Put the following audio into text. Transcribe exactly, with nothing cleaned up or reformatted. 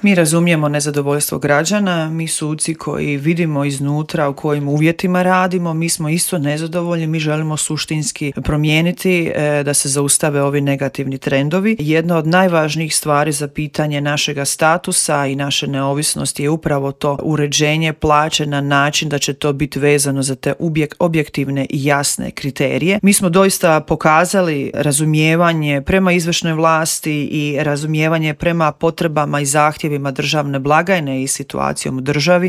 Mi razumijemo nezadovoljstvo građana, mi suci koji vidimo iznutra u kojim uvjetima radimo, mi smo isto nezadovoljni, mi želimo suštinski promijeniti e, da se zaustave ovi negativni trendovi. Jedna od najvažnijih stvari za pitanje našega statusa i naše neovisnosti je upravo to uređenje plaće na način da će to biti vezano za te ubjek, objektivne i jasne kriterije. Mi smo doista pokazali razumijevanje prema izvršnoj vlasti i razumijevanje prema potrebama i zahtjevima državne blagajne i situacijom u državi.